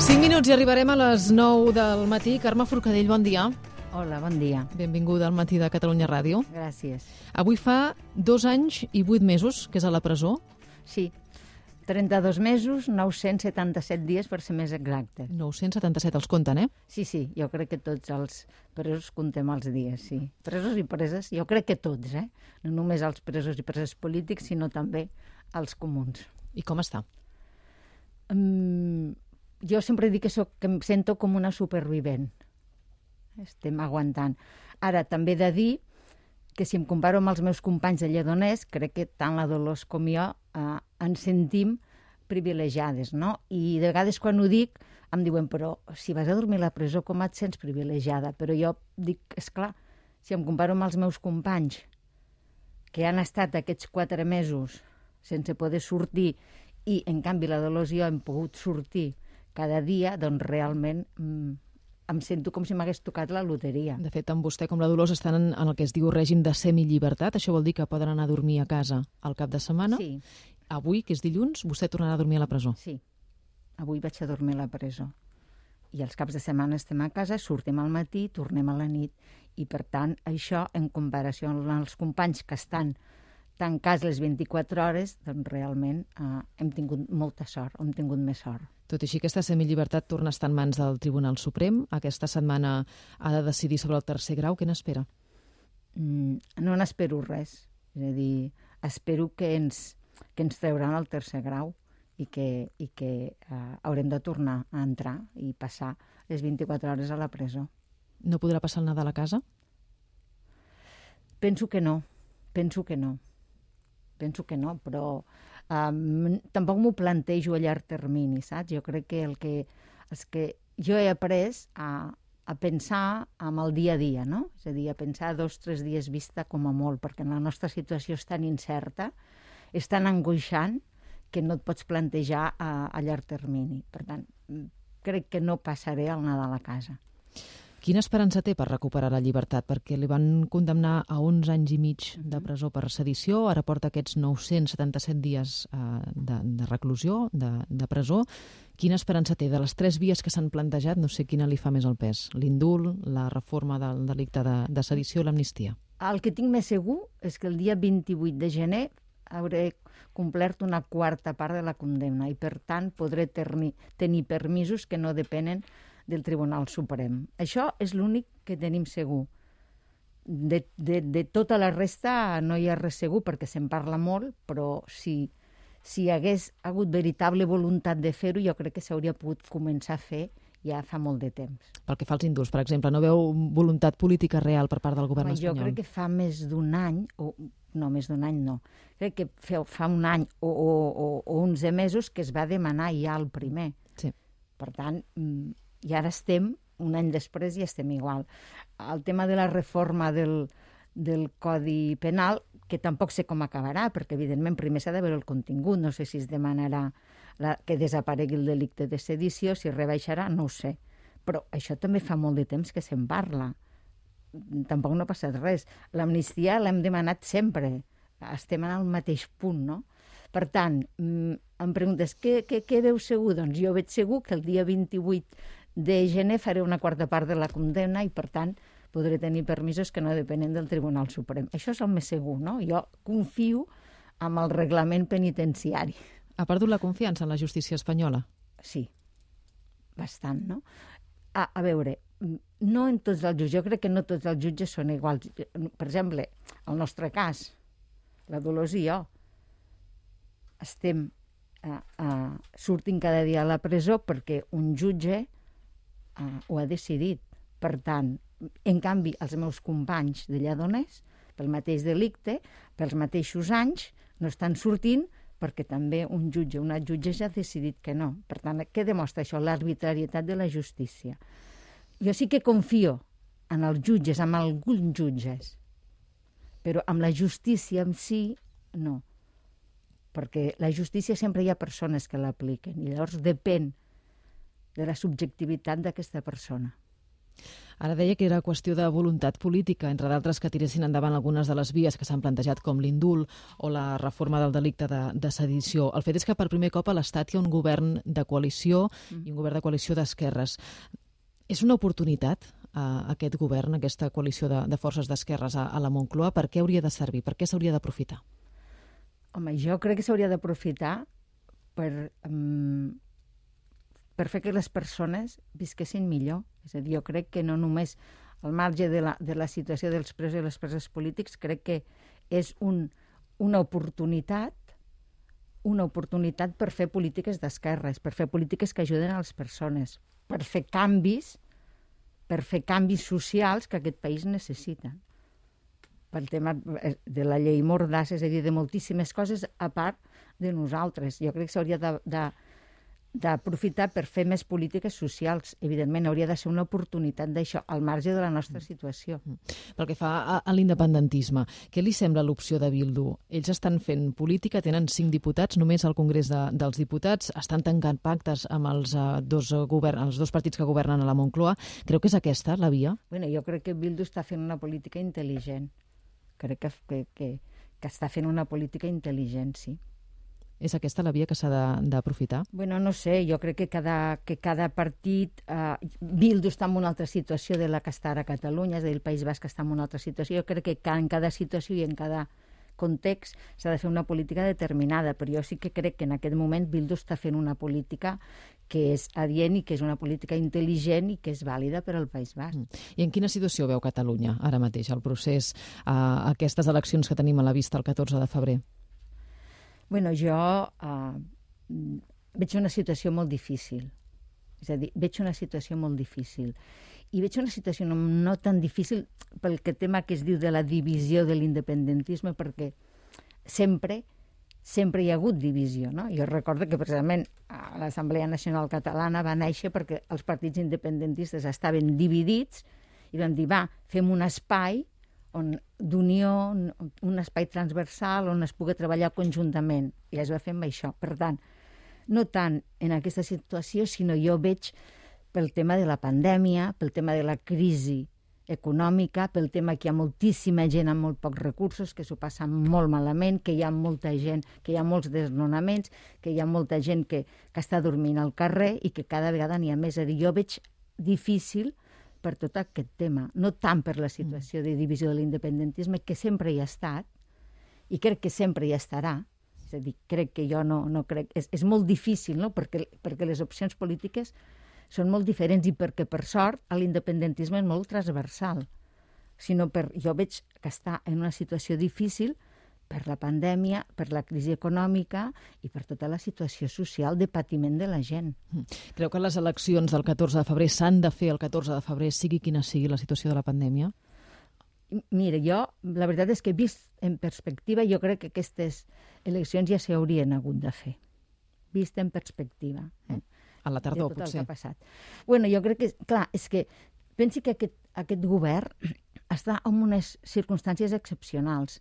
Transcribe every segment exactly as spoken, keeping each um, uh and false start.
cinc minuts i arribarem a les nou del matí. Carme Forcadell, bon dia. Hola, bon dia. Benvinguda al Matí de Catalunya Ràdio. Gràcies. Avui fa dos anys i vuit mesos que és a la presó. Sí, trenta-dos mesos, nou-cents setanta-set dies per ser més exactes. nou-cents setanta-set els compten, eh? Sí, sí, jo crec que tots els presos comptem els dies, sí. Presos i preses, jo crec que tots, eh? No només els presos i preses polítics, sinó també els comuns. I com està? Um, jo sempre dic que, soc, que em sento com una supervivent. Estem aguantant. Ara, també he de dir que si em comparo amb els meus companys de Lledoners, crec que tant la Dolors com jo eh, ens sentim privilegiades, no? I de vegades quan ho dic em diuen, però si vas a dormir a la presó, com et sents privilegiada? Però jo dic, esclar, si em comparo amb els meus companys que han estat aquests quatre mesos sense poder sortir i, en canvi, la Dolors i jo hem pogut sortir cada dia, doncs realment mm, em sento com si m'hagués tocat la loteria. De fet, tant vostè com la Dolors estan en, en el que es diu règim de semillibertat. Això vol dir que poden anar a dormir a casa al cap de setmana. Sí. Avui, que és dilluns, vostè tornarà a dormir a la presó. Sí. Avui vaig a dormir a la presó. I els caps de setmana estem a casa, sortim al matí, tornem a la nit. I, per tant, això, en comparació amb els companys que estan tancats les vint-i-quatre hores, doncs realment eh, hem tingut molta sort, hem tingut més sort. Tot i així, aquesta semillibertat torna a estar en mans del Tribunal Suprem. Aquesta setmana ha de decidir sobre el tercer grau. Què n'espera? Mm, no n'espero res. És a dir, espero que ens, que ens trauran el tercer grau i que, i que eh, haurem de tornar a entrar i passar les vint-i-quatre hores a la presó. No podrà passar el Nadal a casa? Penso que no, penso que no. Penso que no, però um, tampoc m'ho plantejo a llarg termini, saps? Jo crec que el que, el que jo he après a, a pensar amb el dia a dia, no? És a dir, a pensar dos o tres dies vista com a molt, perquè la nostra situació és tan incerta, és tan angoixant, que no et pots plantejar a, a llarg termini. Per tant, crec que no passaré el Nadal a casa. Quina esperança té per recuperar la llibertat? Perquè li van condemnar a onze anys i mig de presó per sedició, ara porta aquests nou-cents setanta-set dies eh, de, de reclusió, de, de presó. Quina esperança té? De les tres vies que s'han plantejat, no sé quina li fa més el pes. L'indult, la reforma del delicte de, de sedició i l'amnistia. El que tinc més segur és que el dia vint-i-vuit de gener hauré complert una quarta part de la condemna i, per tant, podré tenir, tenir permisos que no depenen del Tribunal Suprem. Això és l'únic que tenim segur. De, de, de tota la resta no hi ha res segur, perquè se'n parla molt, però si, si hi hagués hagut veritable voluntat de fer-ho, jo crec que s'hauria pogut començar a fer ja fa molt de temps. Pel que fa als indults, per exemple, no veu voluntat política real per part del govern Home, espanyol? Jo crec que fa més d'un any, o no, més d'un any no, crec que fa un any o, o, o, o onze mesos que es va demanar ja el primer. Sí. Per tant, i ara estem, un any després, i estem igual. El tema de la reforma del, del Codi Penal, que tampoc sé com acabarà, perquè evidentment primer s'ha de veure el contingut, no sé si es demanarà la, que desaparegui el delicte de sedició, si rebaixarà, no ho sé. Però això també fa molt de temps que se'n parla. Tampoc no ha passat res. L'amnistia l'hem demanat sempre. Estem en el mateix punt, no? Per tant, em preguntes, què, què, què veu segur? Doncs jo veig segur que el dia vint-i-vuit de gener faré una quarta part de la condemna i, per tant, podré tenir permisos que no depenen del Tribunal Suprem. Això és el més segur, no? Jo confio en el reglament penitenciari. Ha perdut la confiança en la justícia espanyola? Sí, bastant, no? A, a veure, no en tots els jutges, jo crec que no tots els jutges són iguals. Per exemple, el nostre cas, la Dolors i jo, estem uh, uh, sortint cada dia a la presó perquè un jutge uh, ho ha decidit. Per tant, en canvi, els meus companys de Lledoners, pel mateix delicte, pels mateixos anys, no estan sortint perquè també un jutge, una jutgessa ha decidit que no. Per tant, què demostra això? L'arbitrarietat de la justícia. Jo sí que confio en els jutges, en alguns jutges, però amb la justícia en si, no. Perquè la justícia sempre hi ha persones que l'apliquen i llavors depèn de la subjectivitat d'aquesta persona. Ara deia que era qüestió de voluntat política, entre d'altres que tiressin endavant algunes de les vies que s'han plantejat com l'indult o la reforma del delicte de, de sedició. El fet és que per primer cop a l'Estat hi ha un govern de coalició i un govern de coalició d'esquerres. És una oportunitat eh, aquest govern, aquesta coalició de, de forces d'esquerres a, a la Moncloa? Per què hauria de servir? Per què s'hauria d'aprofitar? Home, jo crec que s'hauria d'aprofitar per, um, per fer que les persones visquessin millor. És a dir, jo crec que no només al marge de la, de la situació dels presos i les preses polítics, crec que és un, una oportunitat una oportunitat per fer polítiques d'esquerres, per fer polítiques que ajuden a les persones, per fer canvis, per fer canvis socials que aquest país necessita. Pel tema de la llei Mordassa, és a dir, de moltíssimes coses, a part de nosaltres. Jo crec que s'hauria de, de, d'aprofitar per fer més polítiques socials. Evidentment, hauria de ser una oportunitat d'això, al marge de la nostra situació. Pel que fa a, a l'independentisme, què li sembla l'opció de Bildu? Ells estan fent política, tenen cinc diputats només al Congrés de, dels Diputats, estan tancant pactes amb els, uh, dos govern, els dos partits que governen a la Moncloa. Creu que és aquesta la via? Bueno, jo crec que Bildu està fent una política intel·ligent. Crec que, que, que, que està fent una política intel·ligent, sí. És aquesta la via que s'ha d'aprofitar? Bueno, no sé, jo crec que cada, que cada partit... Eh, Bildu està en una altra situació de la que està ara a Catalunya, és a dir, el País Basc està en una altra situació. Jo crec que en cada situació i en cada context s'ha de fer una política determinada, però jo sí que crec que en aquest moment Bildu està fent una política que és adient i que és una política intel·ligent i que és vàlida per al País Basc. I en quina situació veu Catalunya ara mateix, el procés, a aquestes eleccions que tenim a la vista el catorze de febrer? Bueno, jo uh, veig una situació molt difícil. És a dir, veig una situació molt difícil. I veig una situació no, no tan difícil pel que tema que es diu de la divisió de l'independentisme, perquè sempre, sempre hi ha hagut divisió, no? Jo recordo que precisament l'Assemblea Nacional Catalana va néixer perquè els partits independentistes estaven dividits i van dir, va, fem un espai d'unió, un espai transversal on es pugui treballar conjuntament. I es va fer amb això. Per tant, no tant en aquesta situació, sinó jo veig pel tema de la pandèmia, pel tema de la crisi econòmica, pel tema que hi ha moltíssima gent amb molt pocs recursos, que s'ho passa molt malament, que hi ha molta gent, que hi ha molts desnonaments, que hi ha molta gent que, que està dormint al carrer i que cada vegada n'hi ha més. És a dir, jo veig difícil per tot aquest tema, no tant per la situació de divisió de l'independentisme, que sempre hi ha estat, i crec que sempre hi estarà. És a dir, crec que jo no, no crec... És, és molt difícil, no?, perquè, perquè les opcions polítiques són molt diferents i perquè, per sort, l'independentisme és molt transversal. Sinó per, jo veig que està en una situació difícil per la pandèmia, per la crisi econòmica i per tota la situació social de patiment de la gent. Creu que les eleccions del catorze de febrer s'han de fer el catorze de febrer, sigui quina sigui la situació de la pandèmia? Mira, jo, la veritat és que vist en perspectiva, jo crec que aquestes eleccions ja s'haurien hagut de fer. Vist en perspectiva. Eh? A la tardor, de tot potser. El que ha passat. Bueno, jo crec que, clar, és que pensi que aquest, aquest govern està en unes circumstàncies excepcionals.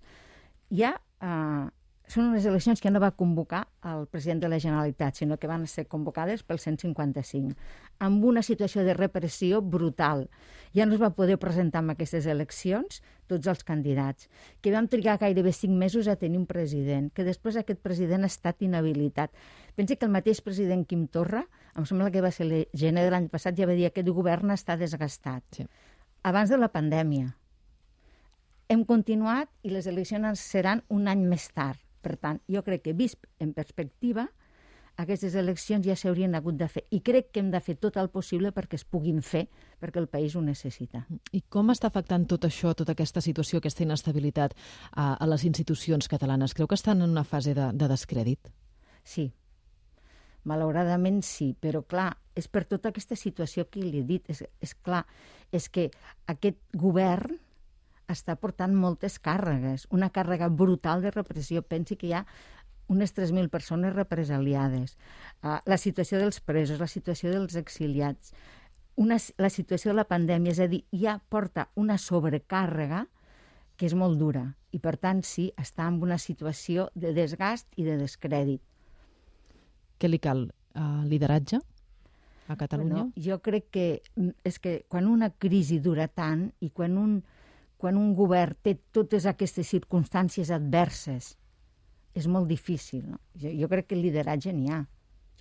Ja eh, són unes eleccions que no va convocar el president de la Generalitat, sinó que van ser convocades pel cent cinquanta cinc, amb una situació de repressió brutal. Ja no es va poder presentar en aquestes eleccions tots els candidats, que vam trigar gairebé cinc mesos a tenir un president, que després aquest president ha estat inhabilitat. Pensi que el mateix president Quim Torra, em sembla que va ser el gener de l'any passat, ja va dir que aquest govern està desgastat. Sí. Abans de la pandèmia. Hem continuat i les eleccions seran un any més tard. Per tant, jo crec que, vist en perspectiva, aquestes eleccions ja s'haurien hagut de fer. I crec que hem de fer tot el possible perquè es puguin fer, perquè el país ho necessita. I com està afectant tot això, tota aquesta situació, aquesta inestabilitat a, a les institucions catalanes? Creu que estan en una fase de, de descrèdit? Sí. Malauradament sí, però clar, és per tota aquesta situació que li he dit. És, és clar, és que aquest govern està portant moltes càrregues, una càrrega brutal de repressió. Pensi que hi ha unes tres mil persones represaliades, uh, la situació dels presos, la situació dels exiliats, una, la situació de la pandèmia, és a dir, ja porta una sobrecàrrega que és molt dura i, per tant, sí, està en una situació de desgast i de descrèdit. Què li cal? Uh, lideratge? a Catalunya? Bueno, jo crec que és que quan una crisi dura tant i quan un, quan un govern té totes aquestes circumstàncies adverses, és molt difícil. No? Jo, jo crec que el lideratge n'hi ha.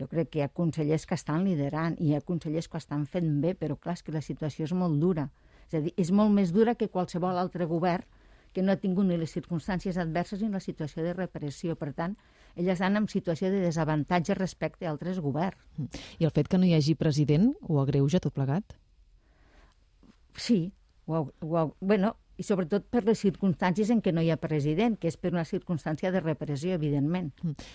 Jo crec que hi ha consellers que estan liderant i hi ha consellers que estan fent bé, però clar, és que la situació és molt dura. És a dir, és molt més dura que qualsevol altre govern que no ha tingut ni les circumstàncies adverses ni la situació de repressió. Per tant, elles estan en situació de desavantatge respecte a altres governs. I el fet que no hi hagi president ho agreuja tot plegat? Sí. Ho, ho, bueno, i sobretot per les circumstàncies en què no hi ha president, que és per una circumstància de repressió, evidentment.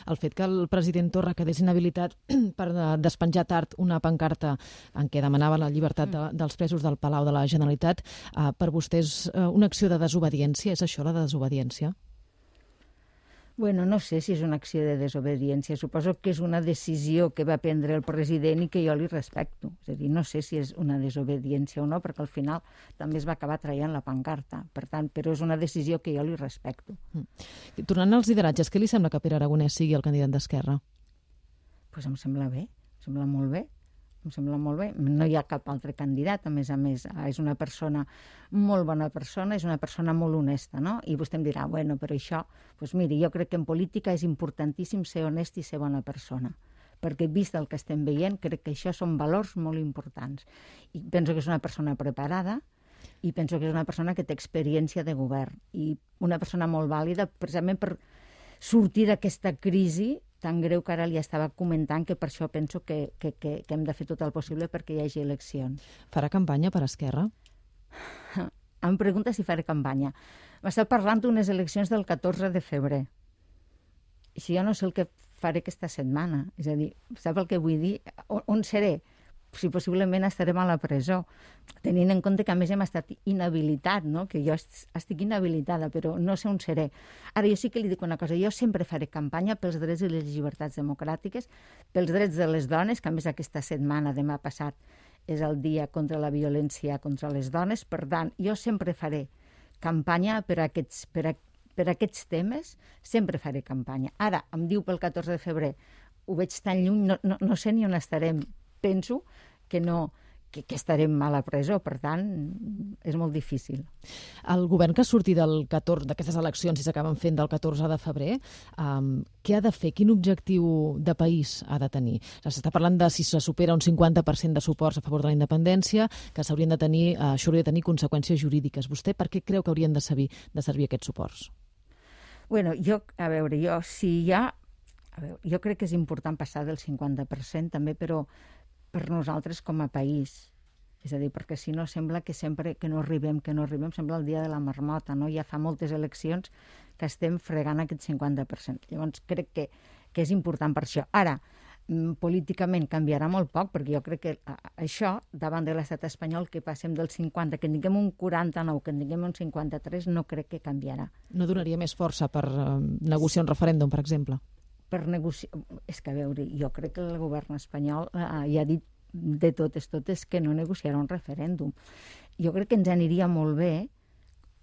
El fet que el president Torra quedés inhabilitat per despenjar tard una pancarta en què demanava la llibertat de, dels presos del Palau de la Generalitat, eh, per vostè és una acció de desobediència? És això, la desobediència? Bueno, no sé si és una acció de desobediència. Suposo que és una decisió que va prendre el president i que jo li respecto. És a dir, no sé si és una desobediència o no, perquè al final també es va acabar traient la pancarta. Per tant, però és una decisió que jo li respecto. Mm. Tornant als lideratges, què li sembla que Pere Aragonès sigui el candidat d'Esquerra? Pues em sembla bé, em sembla molt bé. Em sembla molt bé. No hi ha cap altre candidat, a més a més. És una persona, molt bona persona, és una persona molt honesta, no? I vostè em dirà, bueno, però això... Doncs miri, jo crec que en política és importantíssim ser honest i ser bona persona. Perquè vist el que estem veient, crec que això són valors molt importants. I penso que és una persona preparada i penso que és una persona que té experiència de govern. I una persona molt vàlida, precisament per sortir d'aquesta crisi tan greu que ara li estava comentant, que per això penso que, que, que, que hem de fer tot el possible perquè hi hagi eleccions. Farà campanya per Esquerra? Em pregunta si faré campanya. M'està parlant d'unes eleccions del catorze de febrer. I si jo no sé el que faré aquesta setmana. És a dir, sap el que vull dir? On, on seré? Si possiblement estarem a la presó, tenint en compte que a més hem estat inhabilitat, no? Que jo estic inhabilitada, però no sé on seré. Ara, jo sí que li dic una cosa, jo sempre faré campanya pels drets i les llibertats democràtiques, pels drets de les dones, que a més aquesta setmana, demà passat, és el dia contra la violència contra les dones, per tant, jo sempre faré campanya per aquests, per, a, per aquests temes, sempre faré campanya. Ara, em diu pel catorze de febrer, ho veig tan lluny, no, no, no sé ni on estarem. Penso que no, que, que estarem a la presó, per tant, és molt difícil. El govern que surti del catorze d'aquestes eleccions, si s'acaben fent del catorze de febrer, um, què ha de fer? Quin objectiu de país ha de tenir? S'està parlant de si se supera un cinquanta per cent de suports a favor de la independència, que s'haurien de tenir, uh, això hauria de tenir conseqüències jurídiques. Vostè per què creu que haurien de servir, de servir aquests suports? Bueno, jo, a veure, jo, si hi ha... A veure, jo crec que és important passar del cinquanta per cent també, però per nosaltres com a país. És a dir, perquè si no sembla que sempre que no arribem, que no arribem, sembla el dia de la marmota, no? Ja fa moltes eleccions que estem fregant aquest cinquanta per cent. Llavors crec que, que és important per això. Ara, políticament canviarà molt poc, perquè jo crec que això, davant de l'estat espanyol, que passem del cinquanta, que en tinguem un quaranta-nou, que en tinguem un cinquanta-tres, no crec que canviarà. No donaria més força per uh, negociar un referèndum, per exemple? Per negociar... És que, a veure, jo crec que el govern espanyol eh, ja ha dit de totes, totes, que no negociarà un referèndum. Jo crec que ens aniria molt bé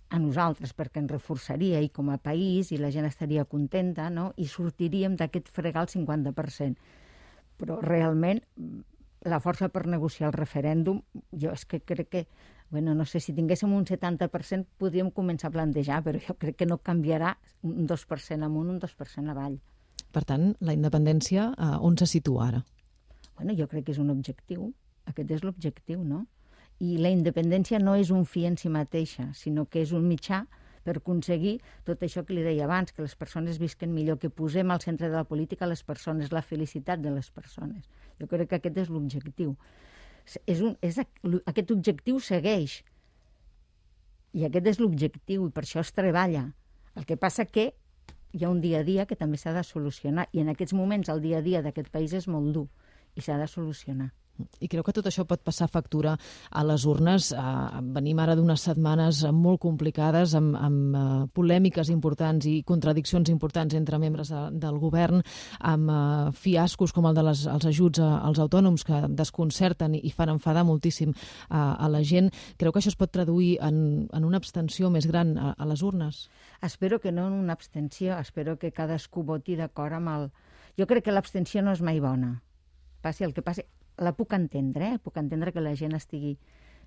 a nosaltres, perquè ens reforçaria i com a país, i la gent estaria contenta, no? I sortiríem d'aquest fregar el cinquanta per cent. Però realment la força per negociar el referèndum, jo és que crec que, bueno, no sé, si tinguéssim un setanta per cent podríem començar a plantejar, però jo crec que no canviarà un dos per cent amunt, un dos per cent avall. Per tant, la independència, eh, on se situa ara? Bueno, jo crec que és un objectiu. Aquest és l'objectiu, no? I la independència no és un fi en si mateixa, sinó que és un mitjà per aconseguir tot això que li deia abans, que les persones visquen millor, que posem al centre de la política les persones, la felicitat de les persones. Jo crec que aquest és l'objectiu. És un, és, aquest objectiu segueix. I aquest és l'objectiu, i per això es treballa. El que passa que hi ha un dia a dia que també s'ha de solucionar, i en aquests moments el dia a dia d'aquest país és molt dur i s'ha de solucionar. I creu que tot això pot passar factura a les urnes? Eh, venim ara d'unes setmanes molt complicades, amb, amb uh, polèmiques importants i contradiccions importants entre membres de, del govern, amb uh, fiascos com el dels de ajuts a, als autònoms que desconcerten i, i fan enfadar moltíssim uh, a la gent. Creu que això es pot traduir en, en una abstenció més gran a, a les urnes? Espero que no en una abstenció, espero que cadascú voti d'acord amb el... Jo crec que l'abstenció no és mai bona. Passi el que passi, la puc entendre, eh? Puc entendre que la gent estigui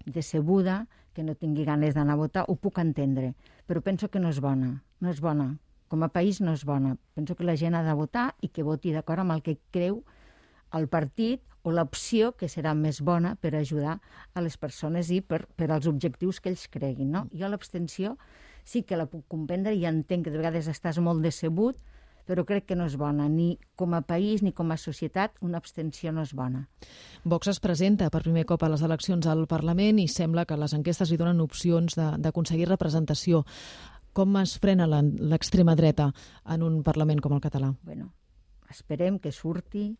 decebuda, que no tingui ganes d'anar a votar, ho puc entendre, però penso que no és bona, no és bona. Com a país no és bona. Penso que la gent ha de votar i que voti d'acord amb el que creu el partit o l'opció que serà més bona per ajudar a les persones i per, per als objectius que ells creguin. No? Jo l'abstenció sí que la puc comprendre i entenc que de vegades estàs molt decebut, però crec que no és bona. Ni com a país ni com a societat una abstenció no és bona. Vox es presenta per primer cop a les eleccions al Parlament i sembla que les enquestes li donen opcions d'aconseguir representació. Com es frena l'extrema dreta en un Parlament com el català? Bueno, esperem que surti,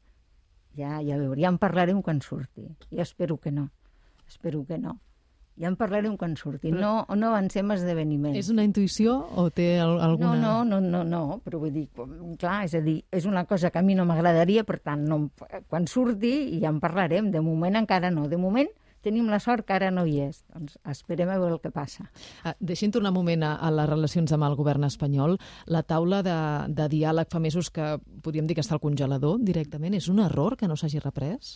ja, ja veurem, ja en parlarem quan surti. Jo espero que no, espero que no. Ja en parlarem quan surti. No, no avancem esdeveniments. És una intuïció o té alguna... No, no, no, no, no, però vull dir, clar, és a dir, és una cosa que a mi no m'agradaria, per tant, no, quan surti ja en parlarem. De moment encara no. De moment tenim la sort que ara no hi és. Doncs esperem a veure el que passa. Ah, deixi'm tornar un moment a, a les relacions amb el govern espanyol. La taula de, de diàleg fa mesos que podríem dir que està al congelador directament. És un error que no s'hagi reprès?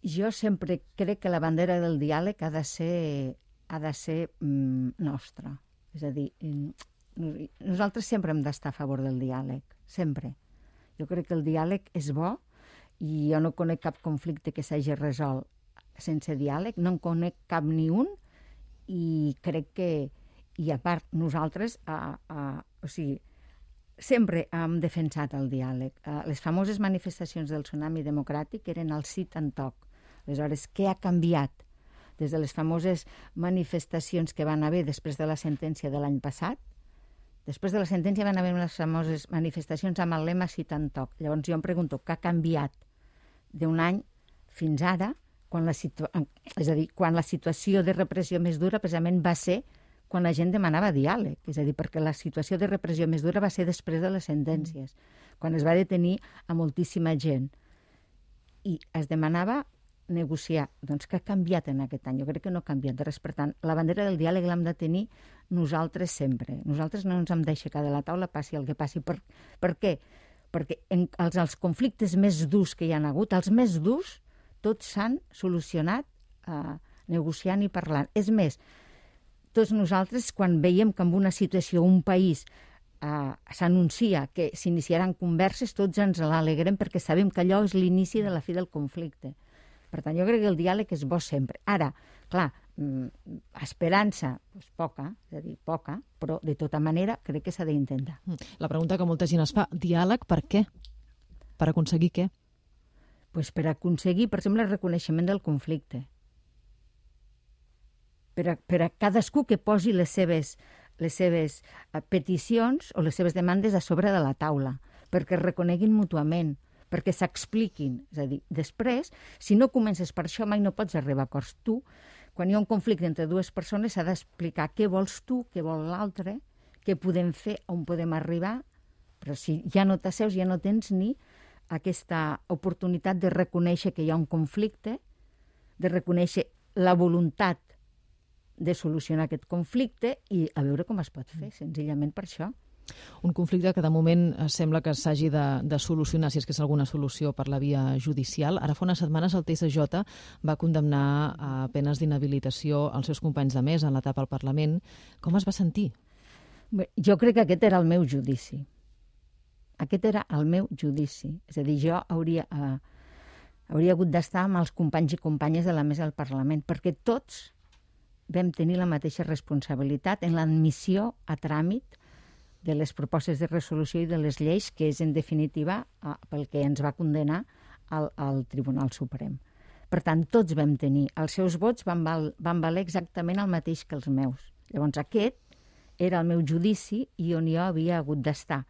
Jo sempre crec que la bandera del diàleg ha de ser, ha de ser mm, nostra. És a dir, nosaltres sempre hem d'estar a favor del diàleg, sempre. Jo crec que el diàleg és bo i jo no conec cap conflicte que s'hagi resolt sense diàleg, no en conec cap ni un i crec que, i a part nosaltres, a, a, o sigui, sempre hem defensat el diàleg. Les famoses manifestacions del tsunami democràtic eren el sit and talk. Aleshores, què ha canviat des de les famoses manifestacions que van haver després de la sentència de l'any passat? Després de la sentència van haver les famoses manifestacions amb el lema sit and talk. Llavors jo em pregunto, què ha canviat d'un any fins ara, quan la, situa... és a dir, quan la situació de repressió més dura precisament va ser quan la gent demanava diàleg, és a dir, perquè la situació de repressió més dura va ser després de les sentències, quan es va detenir a moltíssima gent. I es demanava negociar. Doncs què ha canviat en aquest any? Jo crec que no ha canviat res. Per tant, la bandera del diàleg l'hem de tenir nosaltres sempre. Nosaltres no ens hem d'aixecar de la taula, passi el que passi. Per, per què? Perquè en els, els conflictes més durs que hi ha hagut, els més durs, tots s'han solucionat eh, negociant i parlant. És més, tots nosaltres, quan veiem que en una situació, un país, eh, s'anuncia que s'iniciaran converses, tots ens l'alegrem perquè sabem que allò és l'inici de la fi del conflicte. Per tant, jo crec que el diàleg és bo sempre. Ara, clar, esperança, doncs poca, és a dir, poca, però de tota manera crec que s'ha d'intentar. La pregunta que molta gent es fa, diàleg per què? Per aconseguir què? Pues per aconseguir, per exemple, el reconeixement del conflicte. Per a, per a cadascú que posi les seves, les seves peticions o les seves demandes a sobre de la taula, perquè es reconeguin mútuament, perquè s'expliquin. És a dir, després, si no comences per això, mai no pots arribar a acords. Tu, quan hi ha un conflicte entre dues persones, s'ha d'explicar què vols tu, què vol l'altre, què podem fer, on podem arribar, però si ja no t'asseus, ja no tens ni aquesta oportunitat de reconèixer que hi ha un conflicte, de reconèixer la voluntat de solucionar aquest conflicte i a veure com es pot fer, senzillament per això. Un conflicte que de moment sembla que s'hagi de, de solucionar, si és que és alguna solució per la via judicial. Ara fa unes setmanes el T S J va condemnar a penes d'inhabilitació als seus companys de mesa en l'etapa al Parlament. Com es va sentir? Bé, jo crec que aquest era el meu judici. Aquest era el meu judici. És a dir, jo hauria, eh, hauria hagut d'estar amb els companys i companyes de la mesa del Parlament, perquè tots vam tenir la mateixa responsabilitat en l'admissió a tràmit de les propostes de resolució i de les lleis, que és, en definitiva, eh, pel que ens va condenar al, al Tribunal Suprem. Per tant, tots vam tenir. Els seus vots van, val, van valer exactament el mateix que els meus. Llavors, aquest era el meu judici i on jo havia hagut d'estar.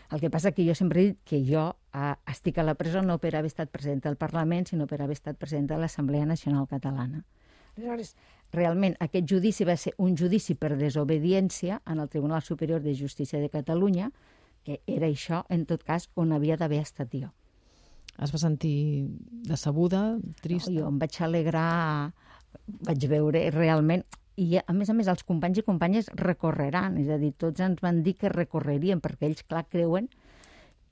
El que passa que jo sempre he dit que jo eh, estic a la presó no per haver estat presidenta del Parlament, sinó per haver estat presidenta de l'Assemblea Nacional Catalana. Aleshores, realment, aquest judici va ser un judici per desobediència en el Tribunal Superior de Justícia de Catalunya, que era això, en tot cas, on havia d'haver estat jo. Es va sentir decebuda, trista? No, jo em vaig alegrar, vaig veure realment... I, a més a més, els companys i companyes recorreran, és a dir, tots ens van dir que recorrerien, perquè ells, clar, creuen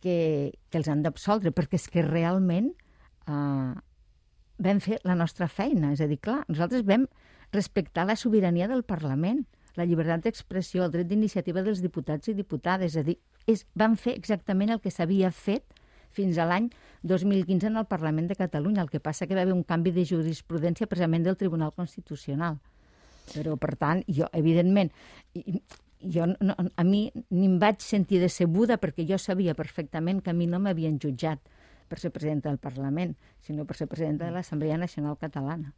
que, que els han d'absoldre, perquè és que realment eh, vam fer la nostra feina. És a dir, clar, nosaltres vam respectar la sobirania del Parlament, la llibertat d'expressió, el dret d'iniciativa dels diputats i diputades. És a dir, és, vam fer exactament el que s'havia fet fins a l'any dos mil quinze en el Parlament de Catalunya. El que passa que va haver un canvi de jurisprudència precisament del Tribunal Constitucional. Però, per tant, jo, evidentment, jo, no, a mi ni em vaig sentir decebuda perquè jo sabia perfectament que a mi no m'havien jutjat per ser presidenta del Parlament, sinó per ser presidenta de l'Assemblea Nacional Catalana.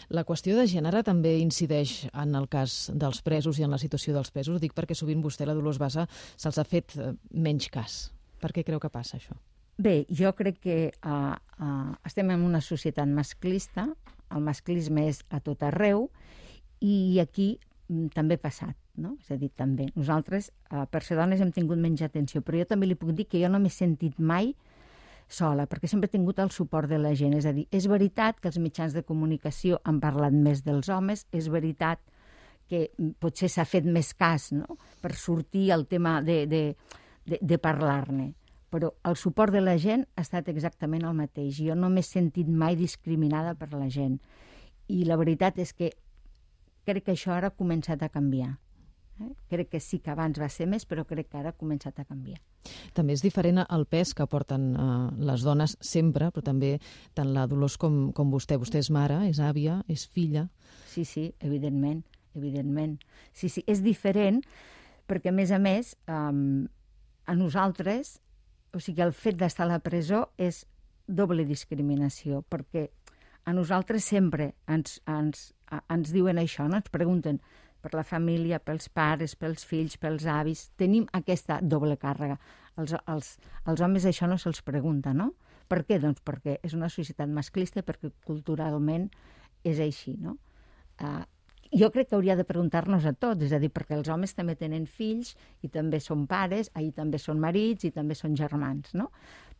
La qüestió de gènere també incideix en el cas dels presos i en la situació dels presos. Ho dic perquè sovint vostè, la Dolors Bassa, se'ls ha fet menys cas. Per què creu que passa això? Bé, jo crec que uh, uh, estem en una societat masclista, el masclisme és a tot arreu, i aquí mm, també ha passat, no? És a dir, també. Nosaltres, uh, per ser dones, hem tingut menys atenció, però jo també li puc dir que jo no m'he sentit mai sola, perquè sempre he tingut el suport de la gent. És a dir, és veritat que els mitjans de comunicació han parlat més dels homes, és veritat que potser s'ha fet més cas, no?, per sortir el tema de, de, de, de parlar-ne. Però el suport de la gent ha estat exactament el mateix. Jo no m'he sentit mai discriminada per la gent. I la veritat és que crec que això ara ha començat a canviar. Eh? Crec que sí que abans va ser més, però crec que ara ha començat a canviar. També és diferent el pes que porten eh, les dones sempre, però també tant la Dolors com, com vostè. Vostè és mare, és àvia, és filla. Sí, sí, evidentment, evidentment. Sí, sí, és diferent perquè, a més a més, um, a nosaltres, o sigui, el fet d'estar a la presó és doble discriminació, perquè a nosaltres sempre ens, ens, ens diuen això, no? Ens pregunten per la família, pels pares, pels fills, pels avis. Tenim aquesta doble càrrega. Els, els, els homes això no se'ls pregunta, no? Per què? Doncs perquè és una societat masclista, perquè culturalment és així, no? Uh, jo crec que hauria de preguntar-nos a tots, és a dir, perquè els homes també tenen fills i també són pares, i també són marits i també són germans, no?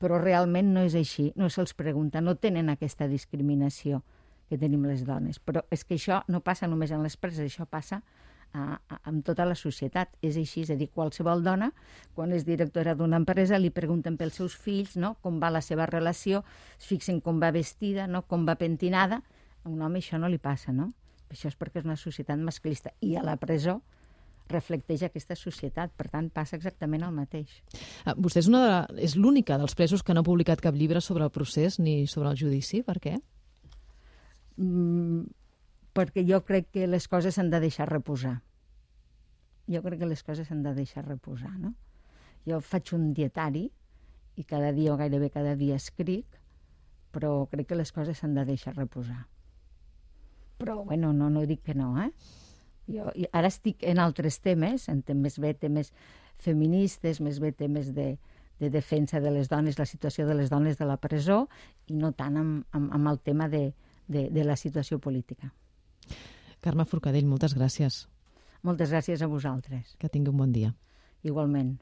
Però realment no és així, no se'ls pregunta, no tenen aquesta discriminació que tenim les dones. Però és que això no passa només en les preses, això passa a, a, amb tota la societat. És així, és a dir, qualsevol dona, quan és directora d'una empresa, li pregunten pels seus fills, no?, com va la seva relació, es fixen com va vestida, no?, com va pentinada. A un home això no li passa, no? Això és perquè és una societat masclista. I a la presó reflecteix aquesta societat. Per tant, passa exactament el mateix. Uh, vostè és, una de, és l'única dels presos que no ha publicat cap llibre sobre el procés ni sobre el judici. Per què? Mm, perquè jo crec que les coses s'han de deixar reposar. Jo crec que les coses s'han de deixar reposar, no? Jo faig un dietari i cada dia o gairebé cada dia escric, però crec que les coses s'han de deixar reposar. Però, bueno, no, no dic que no, eh? Jo ara estic en altres temes, en temes bé, temes feministes, més bé temes de, de defensa de les dones, la situació de les dones de la presó, i no tant amb, amb, amb el tema de, de, de la situació política. Carme Forcadell, moltes gràcies. Moltes gràcies a vosaltres. Que tingui un bon dia. Igualment.